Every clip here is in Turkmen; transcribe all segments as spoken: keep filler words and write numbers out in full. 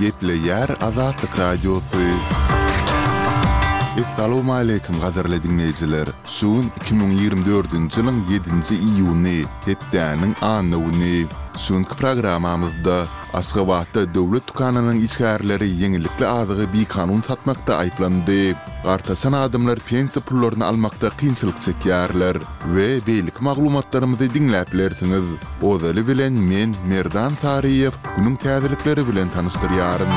Gepleýär Azatlyk Radiosy. Essalawmaleýkim gadyrly diňleýjiler! Şu gün iki müň ýigrimi dördünji ýylyň ýedinji iýuny, hepdäniň anna güni. Şu günki programmamyzda Aşgabatda döwlet dükanynyň işgärleri ýeňillikli azygy bikanun satmakda aýyplandy. Gartaşan adamlar pensiýa pullaryny almakda kynçylyk çekýärler we beýleki maglumatlarymyzy diňläp bilersiňiz. Ozaly bilen men, Merdan Saryýew, günüň täzelikleri bilen tanyşdyrýaryn.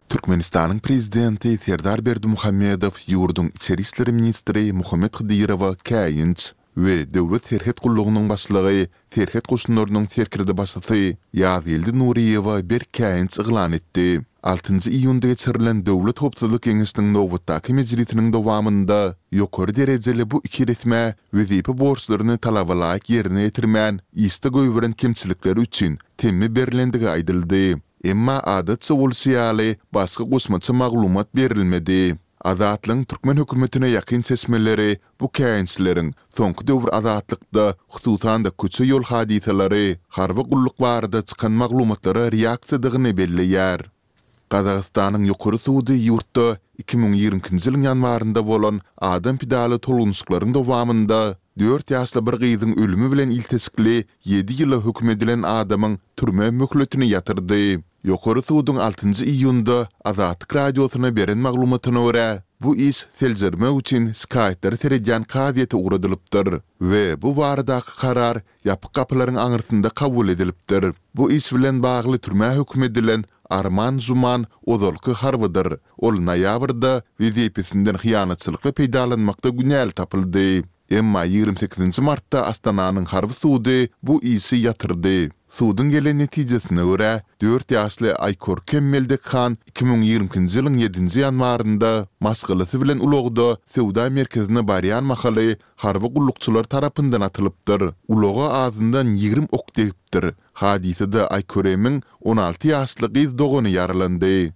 Türkmenistanyň Prezidenti Serdar Berdimuhamedow ýurduň içeri işler ministri Muhammet Hydyrowa käýinç we Döwlet serhet gullugynyň başlygy, serhet goşunlarynyň serkerdebaşysy Ýazgeldi Nuryýewe berk käýinç yglan etdi. Altynjy iýunda geçirilen Döwlet howpsuzlyk geňeşiniň nobatdaky mejlisiniň dowamynda ýokary derejeli bu iki resmä wezipe borçlaryny talabalaýyk ýerine ýetirmän, işde goýberen kemçilikleri üçin temmi berlendigi aýdyldy. Emma adatça bolşy ýaly, başga goşmaça maglumat berilmedi. Azatlygyň türkmen hökümetine ýakyn çeşmeleri bu käýinçleriň soňky döwür Azatlykda, hususan-da köçe-ýol hadysalary, harby gulluk barada çykan maglumatlara reaksiýadygyny belleýär. Gazagystanyň Ýokary sudy ýurtda iki müň ýigrimi ikinji ýylyň ýanwarynda bolan adam pidaly tolgunyşyklaryň dowamynda dört ýaşly bir gyzyň ölümi bilen ilteşikli ýedi ýyla höküm edilen adamyň türme möhletini ýatyrdy. Ýokary suduň altynjy iýunda Azatlyk Radiosyna beren maglumatyna görä, bu iş seljermek üçin şikaýatlara seredýän kazyýete ugradylypdyr we bu baradaky karar ýapyk gapylaryň aňyrsynda kabul edilipdir. Bu iş bilen bagly türmä höküm edilen Arman Žuman ozalky harbydyr. Ol noýabrda wezipesinden hyýanatçylykly peýdalanmakda günäli tapyldy. Emma ýigrimi sekizinji martda Astananyň harby sudy bu işi ýatyrdy. Suduň gelen netijesine görä, dört ýaşly Aýkorkem Meldekhan iki müň ýigrimi ikinji ýylyň ýedinji ýanwarynda maşgalasy bilen ulagda söwda merkezine barýan mahaly harby gullukçylar tarapyndan atylypdyr. Ulaga azyndan ýigrimi ok degipdir. Hadysada Aýköremiň on alty ýaşly gyz dogany ýaralandy.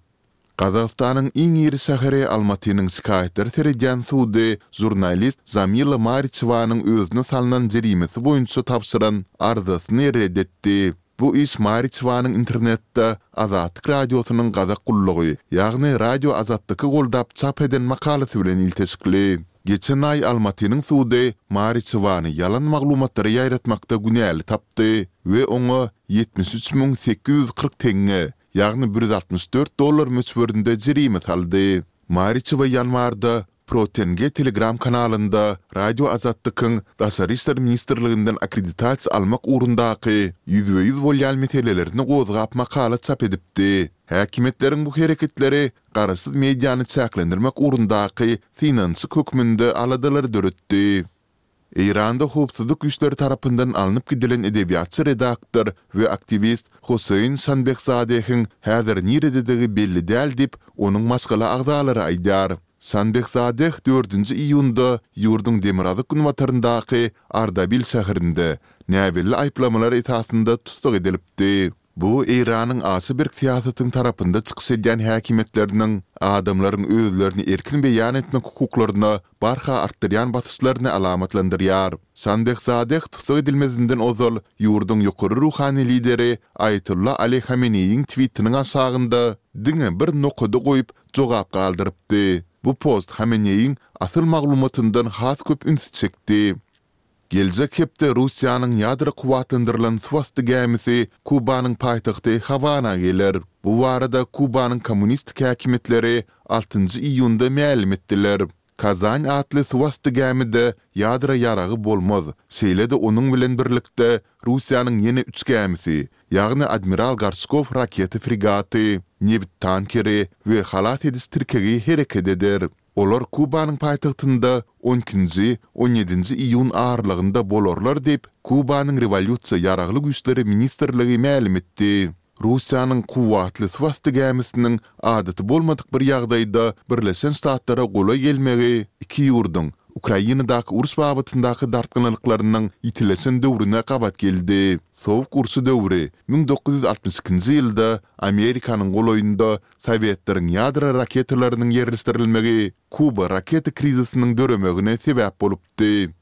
Gazagystanyň iň iri şäheri Almatynyň şikaýatlara seredýän sudy žurnalist Žamila Mariçewanyň özüne salnan jerimesi boýunça tabşyran arzasyny ret etdi. Bu iş Mariçewanyň internetde Azatlyk Radiosynyň gazak gullugy, ýagny Radio Azatlyky goldap çap eden makalasy bilen ilteşikli. Geçen aý Almatynyň sudy Mariçewany ýalan maglumatlary ýaýratmakda günäli tapdy we oňa ýetmiş üç müň sekiz ýüz kyrk teňňe, ýagny bir ýüz altmyş dört dollar möçberinde jerime saldy. Mariçewa ýanwarda ProTenge Telegram kanalynda Radio Azattykyň Daşary işler ministrliginden akkreditasiýa almak ugrundaky ýüzbe-ýüz bolýan meselelerini gozgap makala çap edipdi. Häkimiýetleriň bu hereketleri garaşsyz mediany çäklendirmek ugrundaky synanyşyk hökmünde aladalary döretdi. Eýranda howpsuzlyk güýçleri tarapyndan alnyp gidilen edebiýatçy redaktor we aktiwist Hossein Şanbehzadehiň häzir nirededigi belli däl diýip, onuň maşgala agzalary aýdýar. Şanbehzadeh dördünji iýunda ýurduň demirgazyk-günbataryndaky Ardabil şäherinde näbelli aýyplamalar esasynda tussag edilipdi. Bu Eýranyň aşa berk syýasatyň tarapynda çykyş edýän häkimiýetleriniň adamlaryň özlerini erkin beýan etmek hukuklaryna barha artdyrýan basyşlaryny alamatlandyrýar. Şanbehzadeh tussag edilmezinden ozal ýurduň ýokary ruhany lideri Aýatolla Ali Hameneýiň twitiniň aşagynda diňe bir nokady goýup jogap galdyrypdy. Bu post Hameneýiň asyl maglumatyndan has köp ünsi çekdi. Geljek hepde Russiýanyň ýadro kuwwatlandyrylan suwasty gämisi Kubanyň paýtagty Hawana geler. Bu barada Kubanyň kommunistik häkimiýetleri altynjy iýunda mälim etdiler. Kazan atly suwasty gämide ýadro ýaragy bolmaz, şeýle-de onuň bilen birlikde Russiýanyň ýene üç gämisi, ýagny Admiral Gorşkow raketa fregaty, nebit tankeri we halas ediş tirkegi hereket eder. Olar Kubanyň paýtagtynda on ikinji, on ýedinji iýun aralygynda bolarlar diýip, Kubanyň Rewolýusiýa ýaragly güýçleri ministrligi mälim etdi. Russiýanyň kuwwatly suwasty gämisiniň adaty bolmadyk bir ýagdaýda Birleşen Ştatlara golaý gelmegi iki ýurduň Ukrainadaky uruş babatyndaky dartgynlyklarynyň ýitileşen döwrüne gabat geldi. Sowuk urşy döwri müň dokuz ýüz altmyş ikinji ýylda Amerikanyň golaýynda Sowetleriň ýadro raketalarynyň ýerleşdirilmegi Kuba raketa krizisiniň döremegine sebäp bolupdy.